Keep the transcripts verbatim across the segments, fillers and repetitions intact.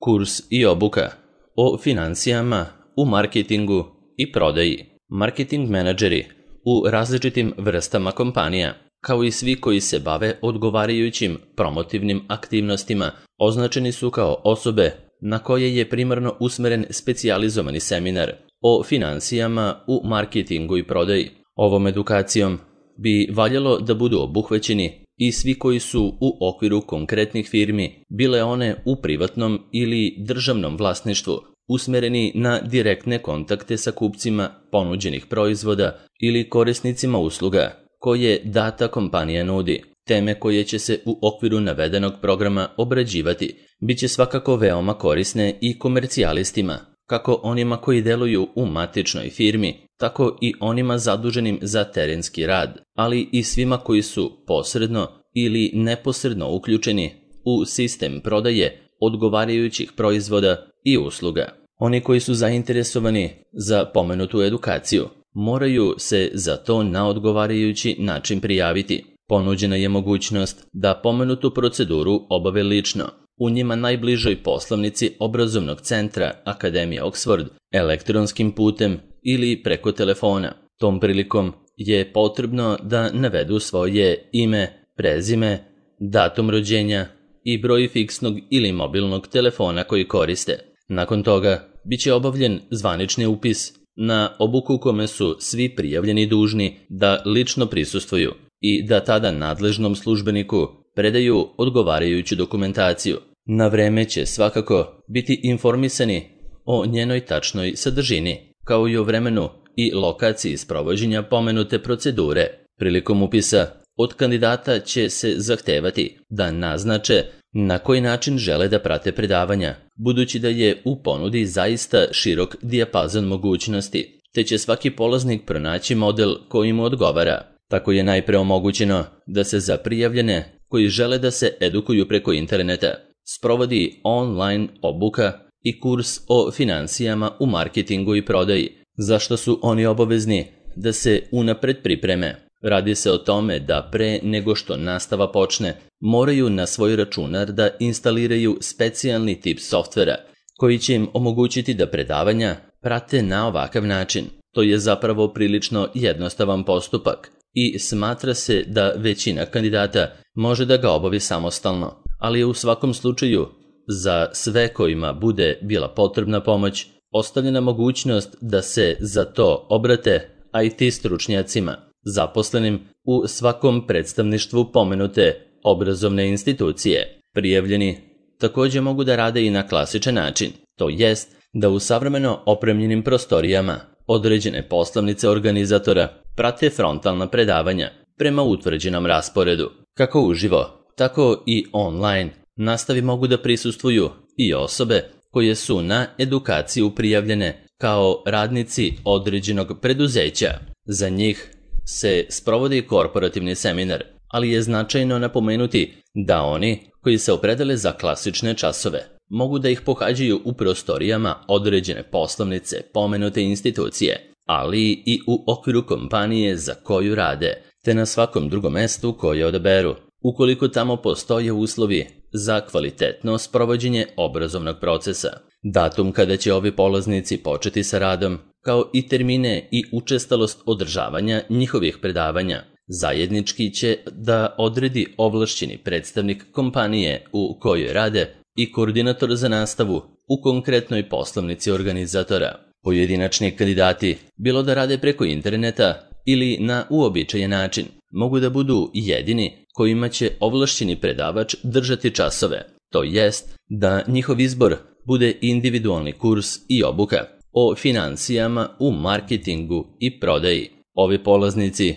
Kurs i obuka o financijama u marketingu i prodaji. Marketing menadžeri u različitim vrstama kompanija, kao i svi koji se bave odgovarajućim promotivnim aktivnostima, označeni su kao osobe na koje je primarno usmeren specijalizovani seminar o financijama u marketingu i prodaji. Ovom edukacijom bi valjalo da budu obuhvaćeni i svi koji su u okviru konkretnih firmi, bile one u privatnom ili državnom vlasništvu, usmereni na direktne kontakte sa kupcima ponuđenih proizvoda ili korisnicima usluga koje data kompanija nudi. Teme koje će se u okviru navedenog programa obrađivati biće svakako veoma korisne i komercijalistima, kako onima koji deluju u matičnoj firmi, tako i onima zaduženim za terenski rad, ali i svima koji su posredno ili neposredno uključeni u sistem prodaje odgovarajućih proizvoda i usluga. Oni koji su zainteresovani za pomenutu edukaciju moraju se za to na odgovarajući način prijaviti. Ponuđena je mogućnost da pomenutu proceduru obave lično u njima najbližoj poslovnici obrazovnog centra Akademije Oxford, elektronskim putem ili preko telefona. Tom prilikom je potrebno da navedu svoje ime, prezime, datum rođenja i broj fiksnog ili mobilnog telefona koji koriste. Nakon toga biće obavljen zvanični upis na obuku kome su svi prijavljeni dužni da lično prisustvuju i da tada nadležnom službeniku predaju odgovarajuću dokumentaciju. Na vreme će svakako biti informisani o njenoj tačnoj sadržini, kao i o vremenu i lokaciji sprovođenja pomenute procedure. Prilikom upisa od kandidata će se zahtevati da naznače na koji način žele da prate predavanja, budući da je u ponudi zaista širok dijapazon mogućnosti, te će svaki polaznik pronaći model koji mu odgovara. Tako je najpre omogućeno da se za prijavljene koji žele da se edukuju preko interneta sprovodi online obuka i kurs o financijama u marketingu i prodaji, za što su oni obavezni da se unapred pripreme. Radi se o tome da pre nego što nastava počne, moraju na svoj računar da instaliraju specijalni tip softvera koji će im omogućiti da predavanja prate na ovakav način. To je zapravo prilično jednostavan postupak i smatra se da većina kandidata može da ga obavi samostalno, ali je u svakom slučaju za sve kojima bude bila potrebna pomoć ostavljena mogućnost da se za to obrate I T stručnjacima zaposlenim u svakom predstavništvu pomenute obrazovne institucije. Prijavljeni također mogu da rade i na klasičan način, to jest da u savremeno opremljenim prostorijama određene poslovnice organizatora prate frontalna predavanja prema utvrđenom rasporedu. Kako uživo, tako i online nastavi mogu da prisustvuju i osobe koje su na edukaciju prijavljene kao radnici određenog preduzeća. Za njih se sprovodi korporativni seminar, ali je značajno napomenuti da oni koji se opredele za klasične časove mogu da ih pohađaju u prostorijama određene poslovnice pomenute institucije, ali i u okviru kompanije za koju rade, te na svakom drugom mestu koje odaberu, ukoliko tamo postoje uslovi za kvalitetno sprovođenje obrazovnog procesa. Datum kada će ovi polaznici početi sa radom, kao i termine i učestalost održavanja njihovih predavanja, zajednički će da odredi ovlašćeni predstavnik kompanije u kojoj rade i koordinator za nastavu u konkretnoj poslovnici organizatora. Pojedinačni kandidati, bilo da rade preko interneta ili na uobičajen način, mogu da budu jedini kojima će ovlašćeni predavač držati časove, to jest da njihov izbor bude individualni kurs i obuka o financijama u marketingu i prodaji. Ovi polaznici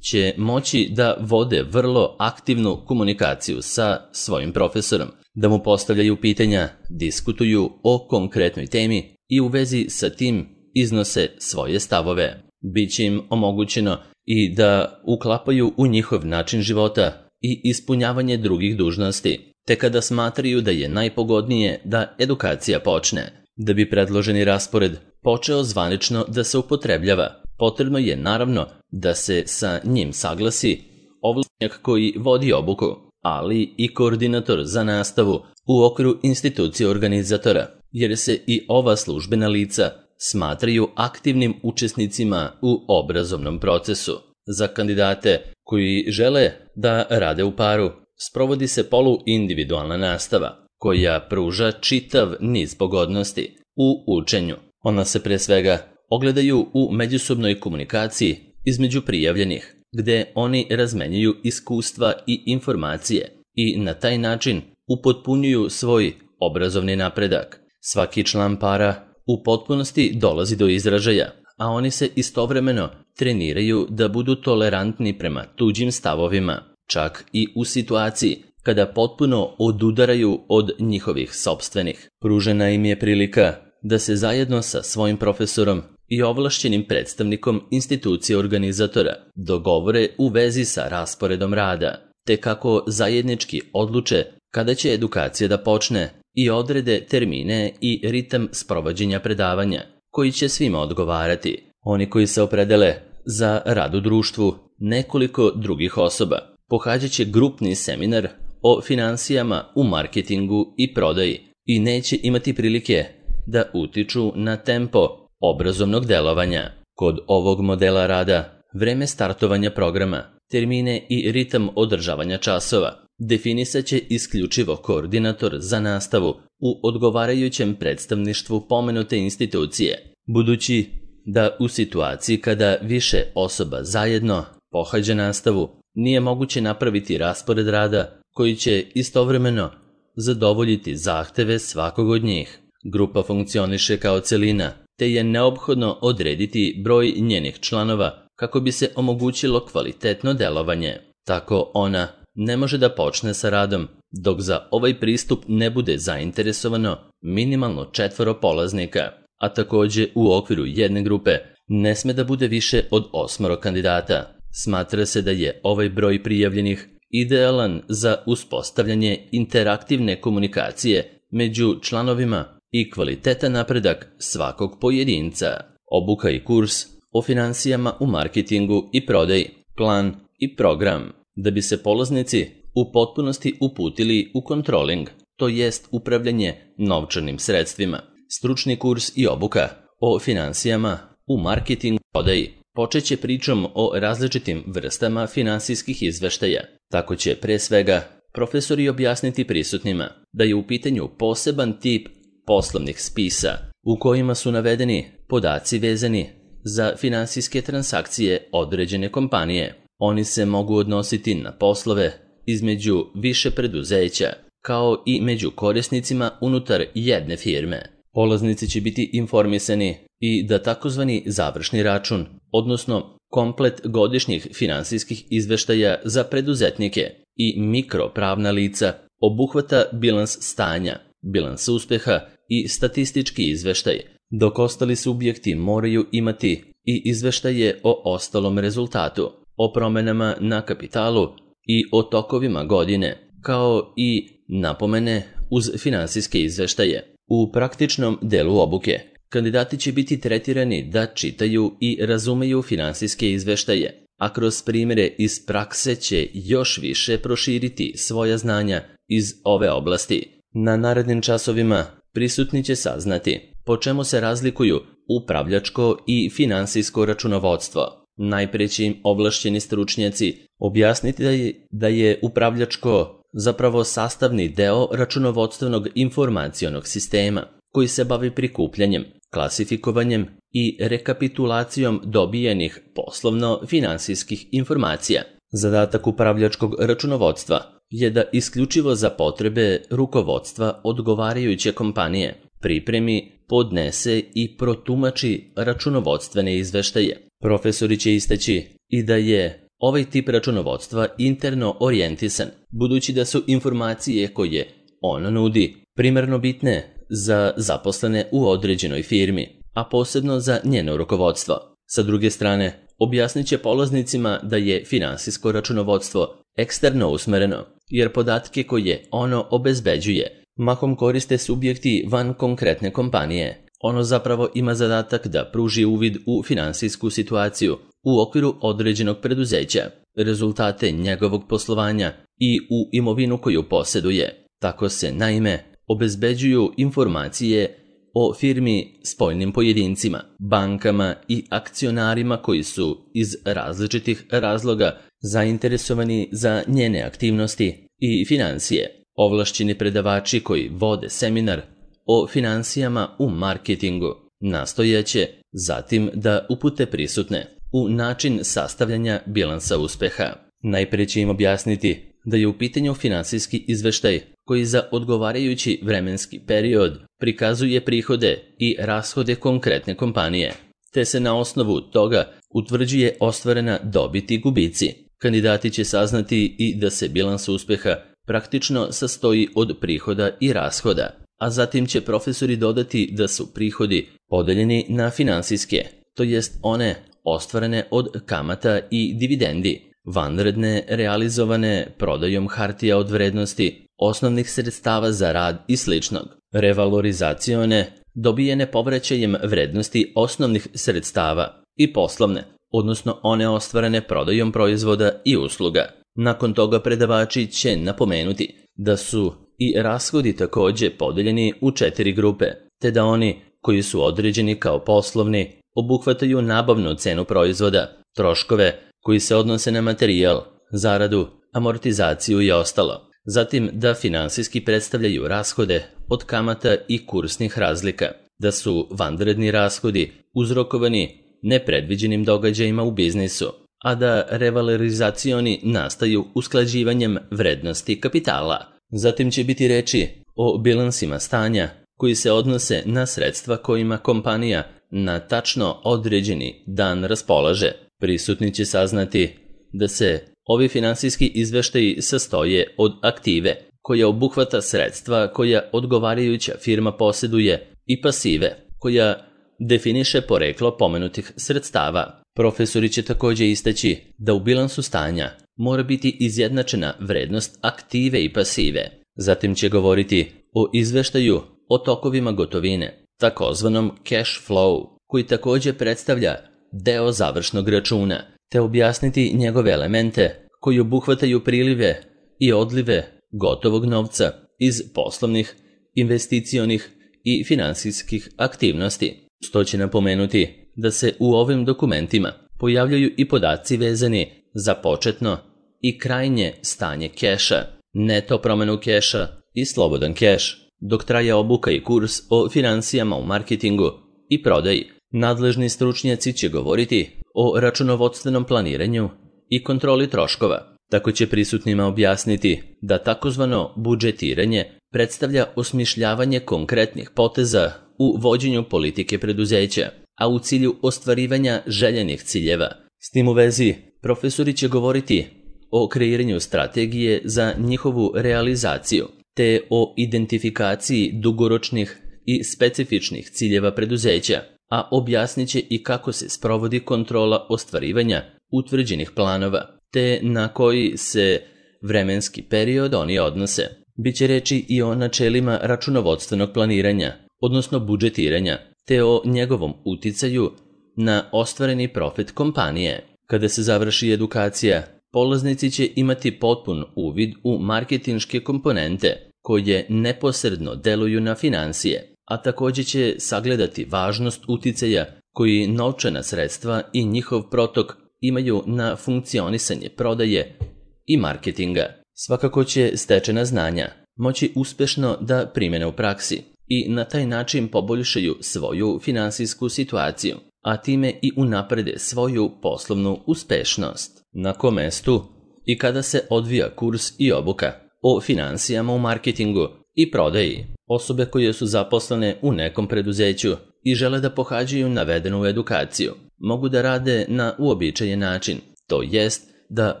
će moći da vode vrlo aktivnu komunikaciju sa svojim profesorom, da mu postavljaju pitanja, diskutuju o konkretnoj temi i u vezi sa tim iznose svoje stavove. Biće im omogućeno i da uklapaju u njihov način života i ispunjavanje drugih dužnosti, te kada smatraju da je najpogodnije da edukacija počne. Da bi predloženi raspored počeo zvanično da se upotrebljava, potrebno je naravno da se sa njim saglasi ovlašćenik koji vodi obuku, ali i koordinator za nastavu u okviru institucije organizatora, jer se i ova službena lica smatraju aktivnim učesnicima u obrazovnom procesu. Za kandidate koji žele da rade u paru, sprovodi se poluindividualna nastava, koja pruža čitav niz pogodnosti u učenju. Ona se pre svega ogledaju u međusobnoj komunikaciji između prijavljenih, gde oni razmenjuju iskustva i informacije i na taj način upotpunjuju svoj obrazovni napredak. Svaki član para u potpunosti dolazi do izražaja, a oni se istovremeno treniraju da budu tolerantni prema tuđim stavovima, čak i u situaciji kada potpuno odudaraju od njihovih sopstvenih. Pružena im je prilika da se zajedno sa svojim profesorom i ovlašćenim predstavnikom institucije organizatora dogovore u vezi sa rasporedom rada, te kako zajednički odluče kada će edukacija da počne i odrede termine i ritam sprovođenja predavanja, koji će svima odgovarati. Oni koji se opredele za rad u društvu nekoliko drugih osoba pohađat će grupni seminar o finansijama u marketingu i prodaji i neće imati prilike da utiču na tempo obrazovnog delovanja. Kod ovog modela rada, vreme startovanja programa, termine i ritam održavanja časova definisat će isključivo koordinator za nastavu u odgovarajućem predstavništvu pomenute institucije, budući da u situaciji kada više osoba zajedno pohađa nastavu, nije moguće napraviti raspored rada koji će istovremeno zadovoljiti zahteve svakog od njih. Grupa funkcioniše kao celina, te je neophodno odrediti broj njenih članova kako bi se omogućilo kvalitetno delovanje. Tako ona ne može da počne sa radom, dok za ovaj pristup ne bude zainteresovano minimalno četvoro polaznika, a takođe u okviru jedne grupe ne sme da bude više od osmoro kandidata. Smatra se da je ovaj broj prijavljenih idealan za uspostavljanje interaktivne komunikacije među članovima i kvalitetan napredak svakog pojedinca. Obuka i kurs o finansijama u marketingu i prodaji, plan i program, da bi se polaznici u potpunosti uputili u kontroling, to jest upravljanje novčanim sredstvima. Stručni kurs i obuka o finansijama u marketingu i prodaji počeće pričom o različitim vrstama finansijskih izveštaja. Tako će pre svega profesori objasniti prisutnima da je u pitanju poseban tip poslovnih spisa u kojima su navedeni podaci vezani za finansijske transakcije određene kompanije. Oni se mogu odnositi na poslove između više preduzeća, kao i među korisnicima unutar jedne firme. Polaznici će biti informisani i da takozvani završni račun, odnosno komplet godišnjih finansijskih izveštaja za preduzetnike i mikropravna lica, obuhvata bilans stanja, bilans uspeha i statistički izveštaj, dok ostali subjekti moraju imati i izveštaje o ostalom rezultatu, o promenama na kapitalu i o tokovima godine, kao i napomene uz finansijske izveštaje. U praktičnom delu obuke, kandidati će biti tretirani da čitaju i razumeju finansijske izveštaje, a kroz primjere iz prakse će još više proširiti svoja znanja iz ove oblasti. Na narednim časovima prisutni će saznati po čemu se razlikuju upravljačko i finansijsko računovodstvo. Najpre će im ovlašćeni stručnjaci objasniti da je, da je upravljačko zapravo sastavni deo računovodstvenog informacionog sistema koji se bavi prikupljanjem, klasifikovanjem i rekapitulacijom dobijenih poslovno-finansijskih informacija. Zadatak upravljačkog računovodstva je da isključivo za potrebe rukovodstva odgovarajuće kompanije pripremi, podnese i protumači računovodstvene izveštaje. Profesori će istaći i da je ovaj tip računovodstva interno orijentisan, budući da su informacije koje ono nudi primarno bitne za zaposlene u određenoj firmi, a posebno za njeno rukovodstvo. Sa druge strane, objasnit će polaznicima da je finansijsko računovodstvo eksterno usmereno, jer podatke koje ono obezbeđuje mahom koriste subjekti van konkretne kompanije. Ono zapravo ima zadatak da pruži uvid u finansijsku situaciju u okviru određenog preduzeća, rezultate njegovog poslovanja i u imovinu koju posjeduje. Tako se, naime, obezbeđuju informacije o firmi spoljnim pojedincima, bankama i akcionarima koji su iz različitih razloga zainteresovani za njene aktivnosti i financije. Ovlašćeni predavači koji vode seminar o financijama u marketingu nastojaće zatim da upute prisutne u način sastavljanja bilansa uspeha. Najprije će im objasniti da je u pitanju finansijski izveštaj koji za odgovarajući vremenski period prikazuje prihode i rashode konkretne kompanije, te se na osnovu toga utvrđuje ostvarena dobit i gubici. Kandidati će saznati i da se bilans uspeha praktično sastoji od prihoda i rashoda, a zatim će profesori dodati da su prihodi podeljeni na finansijske, to jest one ostvarene od kamata i dividendi, vanredne realizovane prodajom hartija od vrednosti, osnovnih sredstava za rad i sličnog, revalorizacione, dobijene povraćajem vrednosti osnovnih sredstava i poslovne, odnosno one ostvarene prodajom proizvoda i usluga. Nakon toga predavači će napomenuti da su i rashodi također podeljeni u četiri grupe, te da oni koji su određeni kao poslovni obuhvataju nabavnu cenu proizvoda, troškove koji se odnose na materijal, zaradu, amortizaciju i ostalo. Zatim da finansijski predstavljaju rashode od kamata i kursnih razlika, da su vanredni rashodi uzrokovani nepredviđenim događajima u biznisu, a da revalorizacioni nastaju usklađivanjem vrednosti kapitala. Zatim će biti reči o bilansima stanja koji se odnose na sredstva kojima kompanija na tačno određeni dan raspolaže. Prisutni će saznati da se ovi finansijski izveštaji sastoje od aktive, koja obuhvata sredstva koja odgovarajuća firma posjeduje, i pasive, koja definiše poreklo pomenutih sredstava. Profesori će također istaći da u bilansu stanja mora biti izjednačena vrednost aktive i pasive. Zatim će govoriti o izveštaju o tokovima gotovine, takozvanom cash flow, koji također predstavlja deo završnog računa, te objasniti njegove elemente koji obuhvataju prilive i odlive gotovog novca iz poslovnih, investicionih i finansijskih aktivnosti. Sto će napomenuti da se u ovim dokumentima pojavljaju i podaci vezani za početno i krajnje stanje keša, neto promjenu keša i slobodan keš, dok traje obuka i kurs o financijama u marketingu i prodaji. Nadležni stručnjaci će govoriti o računovodstvenom planiranju i kontroli troškova. Tako će prisutnima objasniti da takozvano budžetiranje predstavlja osmišljavanje konkretnih poteza u vođenju politike preduzeća, a u cilju ostvarivanja željenih ciljeva. S tim u vezi, profesori će govoriti o kreiranju strategije za njihovu realizaciju, te o identifikaciji dugoročnih i specifičnih ciljeva preduzeća, a objasnit će i kako se sprovodi kontrola ostvarivanja utvrđenih planova, te na koji se vremenski period oni odnose. Biće reči i o načelima računovodstvenog planiranja, odnosno budžetiranja, te o njegovom uticaju na ostvareni profit kompanije. Kada se završi edukacija, polaznici će imati potpun uvid u marketinške komponente koje neposredno deluju na financije, a također će sagledati važnost uticaja koji novčana sredstva i njihov protok imaju na funkcionisanje prodaje i marketinga. Svakako će stečena znanja moći uspješno da primene u praksi i na taj način poboljšaju svoju finansijsku situaciju, a time i unaprede svoju poslovnu uspešnost. Na kom mestu i kada se odvija kurs i obuka o financijama u marketingu i prodaji? Osobe koje su zaposlene u nekom preduzeću i žele da pohađaju navedenu edukaciju mogu da rade na uobičajen način, to jest da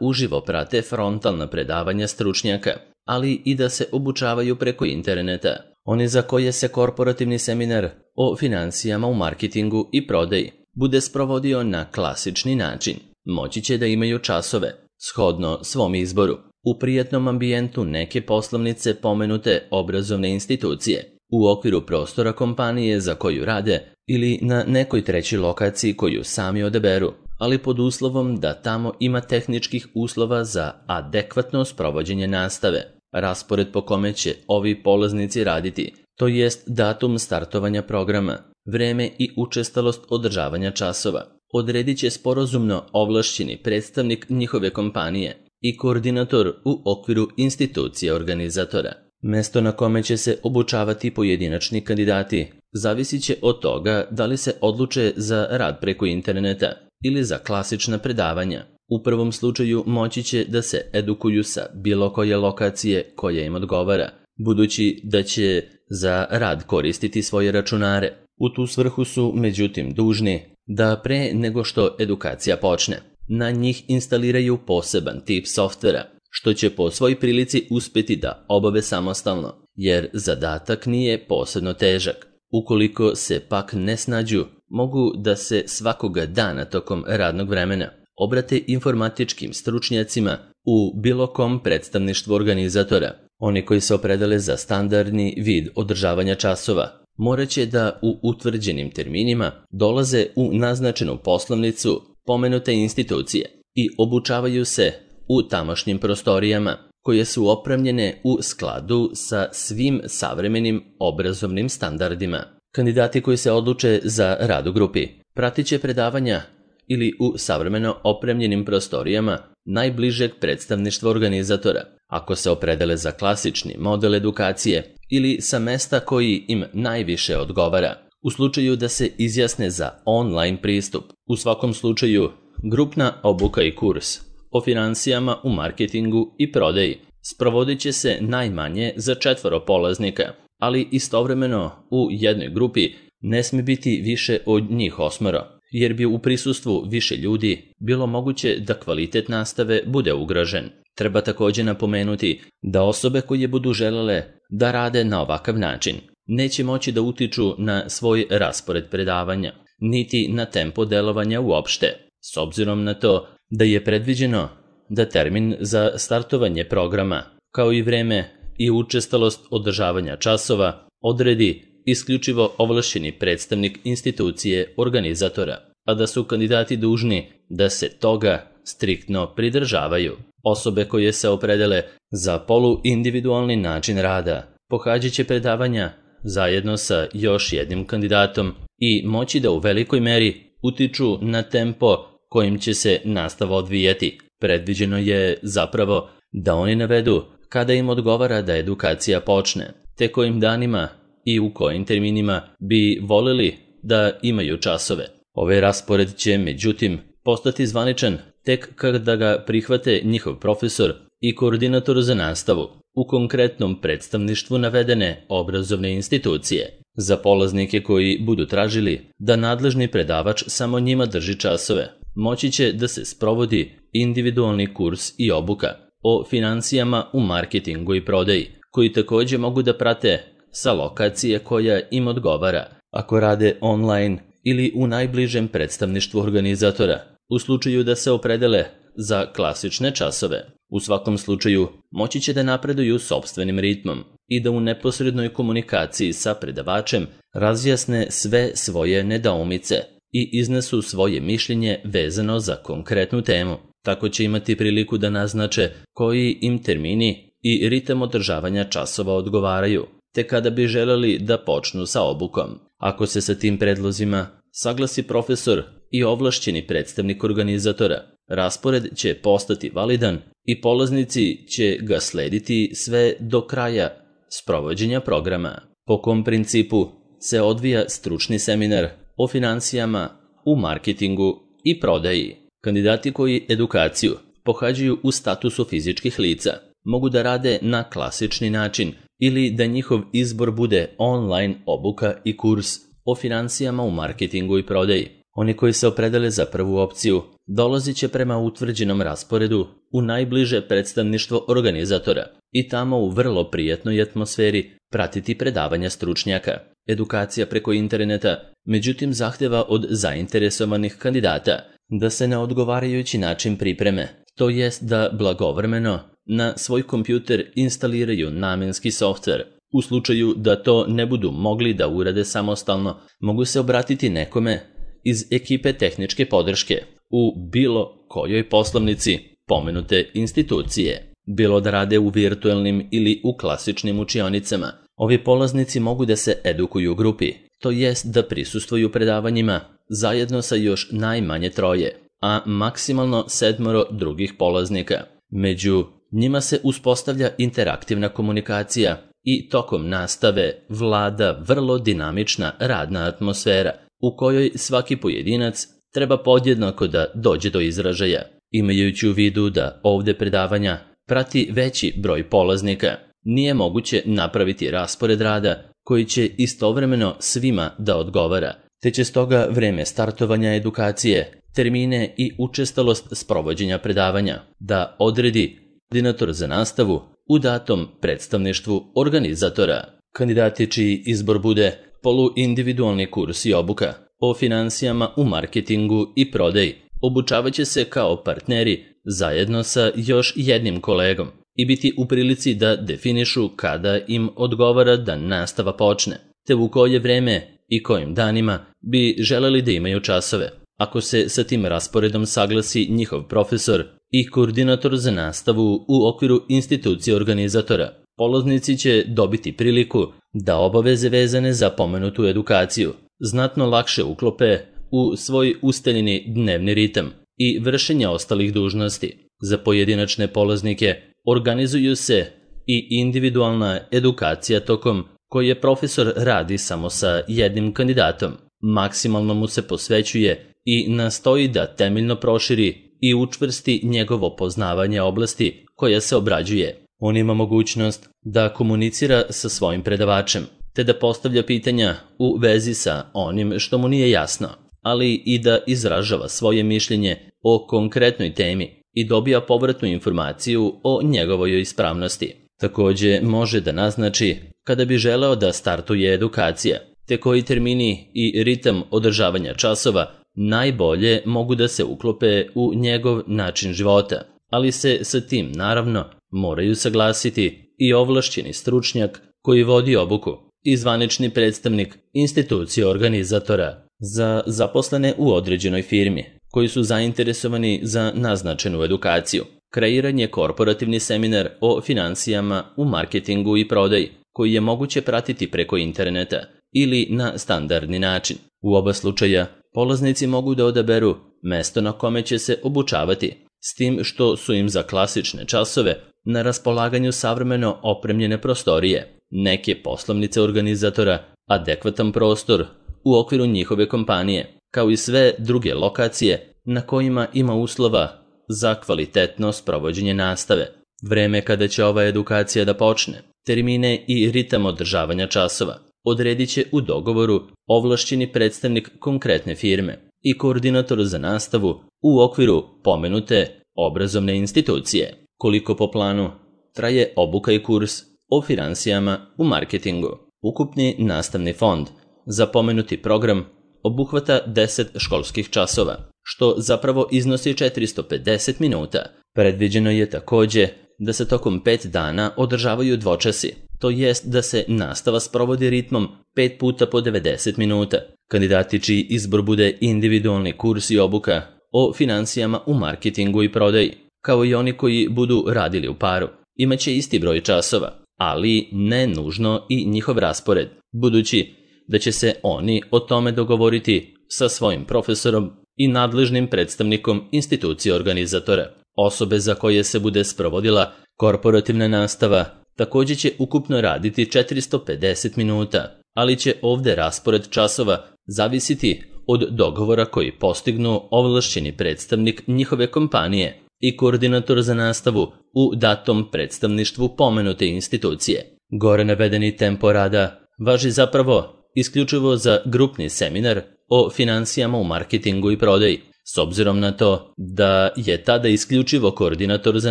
uživo prate frontalna predavanja stručnjaka, ali i da se obučavaju preko interneta. Oni za koje se korporativni seminar o financijama u marketingu i prodaji bude sprovodio na klasični način, moći će da imaju časove, shodno svom izboru, u prijatnom ambijentu neke poslovnice pomenute obrazovne institucije, u okviru prostora kompanije za koju rade ili na nekoj trećoj lokaciji koju sami odaberu, ali pod uslovom da tamo ima tehničkih uslova za adekvatno sprovođenje nastave, raspored po kome će ovi polaznici raditi, to jest datum startovanja programa, vreme i učestalost održavanja časova, odredit će sporazumno ovlašćeni predstavnik njihove kompanije i koordinator u okviru institucije organizatora. Mesto na kome će se obučavati pojedinačni kandidati zavisit će od toga da li se odluče za rad preko interneta ili za klasična predavanja. U prvom slučaju moći će da se edukuju sa bilo koje lokacije koja im odgovara, budući da će za rad koristiti svoje računare. U tu svrhu su, međutim, dužni da pre nego što edukacija počne, na njih instaliraju poseban tip softvera, što će po svoj prilici uspjeti da obave samostalno, jer zadatak nije posebno težak. Ukoliko se pak ne snađu, mogu da se svakoga dana tokom radnog vremena obrate informatičkim stručnjacima u bilo kom predstavništvu organizatora. Oni koji se opredele za standardni vid održavanja časova morat će da u utvrđenim terminima dolaze u naznačenu poslovnicu pomenute institucije i obučavaju se u tamošnjim prostorijama koje su opremljene u skladu sa svim savremenim obrazovnim standardima. Kandidati koji se odluče za rad u grupi pratit će predavanja ili u savremeno opremljenim prostorijama najbližeg predstavništva organizatora, ako se opredele za klasični model edukacije ili sa mesta koji im najviše odgovara. U slučaju da se izjasne za online pristup, u svakom slučaju grupna obuka i kurs o financijama u marketingu i prodaji sprovodit će se najmanje za četvoro polaznika, ali istovremeno u jednoj grupi ne smije biti više od njih osmoro, jer bi u prisustvu više ljudi bilo moguće da kvalitet nastave bude ugrožen. Treba također napomenuti da osobe koje budu želele da rade na ovakav način neće moći da utiču na svoj raspored predavanja, niti na tempo delovanja uopšte, s obzirom na to da je predviđeno da termin za startovanje programa, kao i vreme i učestalost održavanja časova, odredi isključivo ovlašćeni predstavnik institucije organizatora, a da su kandidati dužni da se toga striktno pridržavaju. Osobe koje se opredele za poluindividualni način rada pohađat će predavanja zajedno sa još jednim kandidatom i moći da u velikoj meri utiču na tempo kojim će se nastava odvijati. Predviđeno je zapravo da oni navedu kada im odgovara da edukacija počne, te kojim danima i u kojim terminima bi volili da imaju časove. Ovaj raspored će, međutim, postati zvaničan tek kada ga prihvate njihov profesor i koordinator za nastavu u konkretnom predstavništvu navedene obrazovne institucije. Za polaznike koji budu tražili da nadležni predavač samo njima drži časove, moći će da se sprovodi individualni kurs i obuka o financijama u marketingu i prodaji, koji također mogu da prate sa lokacije koja im odgovara, ako rade online ili u najbližem predstavništvu organizatora, u slučaju da se opredele za klasične časove. U svakom slučaju moći će da napreduju sopstvenim ritmom i da u neposrednoj komunikaciji sa predavačem razjasne sve svoje nedoumice i iznesu svoje mišljenje vezano za konkretnu temu. Tako će imati priliku da naznače koji im termini i ritam održavanja časova odgovaraju, te kada bi želeli da počnu sa obukom. Ako se sa tim predlozima saglasi profesor i ovlašćeni predstavnik organizatora, raspored će postati validan i polaznici će ga slediti sve do kraja sprovođenja programa. Po kom principu se odvija stručni seminar o financijama u marketingu i prodaji. Kandidati koji edukaciju pohađaju u statusu fizičkih lica mogu da rade na klasični način ili da njihov izbor bude online obuka i kurs o financijama u marketingu i prodaji. Oni koji se opredele za prvu opciju dolazit će prema utvrđenom rasporedu u najbliže predstavništvo organizatora i tamo u vrlo prijatnoj atmosferi pratiti predavanja stručnjaka. Edukacija preko interneta, međutim, zahteva od zainteresovanih kandidata da se na odgovarajući način pripreme, to jest da blagovremeno na svoj kompjuter instaliraju namenski softver. U slučaju da to ne budu mogli da urade samostalno, mogu se obratiti nekome iz ekipe tehničke podrške u bilo kojoj poslovnici pomenute institucije. Bilo da rade u virtuelnim ili u klasičnim učionicama, ovi polaznici mogu da se edukuju u grupi, to jest da prisustvuju predavanjima zajedno sa još najmanje troje, a maksimalno sedmoro drugih polaznika. Među njima se uspostavlja interaktivna komunikacija i tokom nastave vlada vrlo dinamična radna atmosfera u kojoj svaki pojedinac treba podjednako da dođe do izražaja. Imajući u vidu da ovde predavanja prati veći broj polaznika, nije moguće napraviti raspored rada koji će istovremeno svima da odgovara, te će stoga vreme startovanja edukacije, termine i učestalost sprovođenja predavanja da odredi koordinator za nastavu u datom predstavništvu organizatora. Kandidati čiji izbor bude poluindividualni kurs i obuka o finansijama u marketingu i prodaji obučavaće se kao partneri zajedno sa još jednim kolegom i biti u prilici da definišu kada im odgovara da nastava počne, te u koje vreme i kojim danima bi želeli da imaju časove. Ako se sa tim rasporedom saglasi njihov profesor i koordinator za nastavu u okviru institucije organizatora, polaznici će dobiti priliku da obaveze vezane za pomenutu edukaciju znatno lakše uklope u svoj ustaljeni dnevni ritam i vršenja ostalih dužnosti. Za pojedinačne polaznike organizuju se i individualna edukacija tokom koje profesor radi samo sa jednim kandidatom. Maksimalno mu se posvećuje i nastoji da temeljno proširi i učvrsti njegovo poznavanje oblasti koja se obrađuje. On ima mogućnost da komunicira sa svojim predavačem, te da postavlja pitanja u vezi sa onim što mu nije jasno, ali i da izražava svoje mišljenje o konkretnoj temi i dobija povratnu informaciju o njegovoj ispravnosti. Takođe može da naznači kada bi želeo da startuje edukacija, te koji termini i ritam održavanja časova najbolje mogu da se uklope u njegov način života, ali se sa tim naravno moraju saglasiti i ovlašćeni stručnjak koji vodi obuku i zvanični predstavnik institucije organizatora. Za zaposlene u određenoj firmi koji su zainteresovani za naznačenu edukaciju, kreiran je korporativni seminar o finansijama u marketingu i prodaji koji je moguće pratiti preko interneta ili na standardni način. U oba slučaja polaznici mogu da odaberu mesto na kome će se obučavati, s tim što su im za klasične časove na raspolaganju savremeno opremljene prostorije, neke poslovnice organizatora, adekvatan prostor u okviru njihove kompanije, kao i sve druge lokacije na kojima ima uslova za kvalitetno sprovođenje nastave. Vreme kada će ova edukacija da počne, termine i ritam održavanja časova odredit će u dogovoru ovlašćeni predstavnik konkretne firme i koordinator za nastavu u okviru pomenute obrazovne institucije. Koliko po planu traje obuka i kurs o finansijama u marketingu? Ukupni nastavni fond za pomenuti program obuhvata deset školskih časova, što zapravo iznosi četiristo pedeset minuta. Predviđeno je takođe da se tokom pet dana održavaju dvočasi, to jest da se nastava sprovodi ritmom pet puta po devedeset minuta. Kandidati čiji izbor bude individualni kurs i obuka o finansijama u marketingu i prodaji, kao i oni koji budu radili u paru, imaće isti broj časova, ali ne nužno i njihov raspored, budući da će se oni o tome dogovoriti sa svojim profesorom i nadležnim predstavnikom institucije organizatora. Osobe za koje se bude sprovodila korporativna nastava takođe će ukupno raditi četiristo pedeset minuta, ali će ovde raspored časova zavisiti od dogovora koji postignu ovlašćeni predstavnik njihove kompanije i koordinator za nastavu u datom predstavništvu pomenute institucije. Gore navedeni tempo rada važi zapravo isključivo za grupni seminar o finansijama u marketingu i prodaji, s obzirom na to da je tada isključivo koordinator za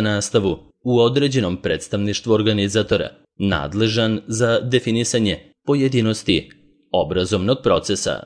nastavu u određenom predstavništvu organizatora nadležan za definisanje pojedinosti obrazovnog procesa.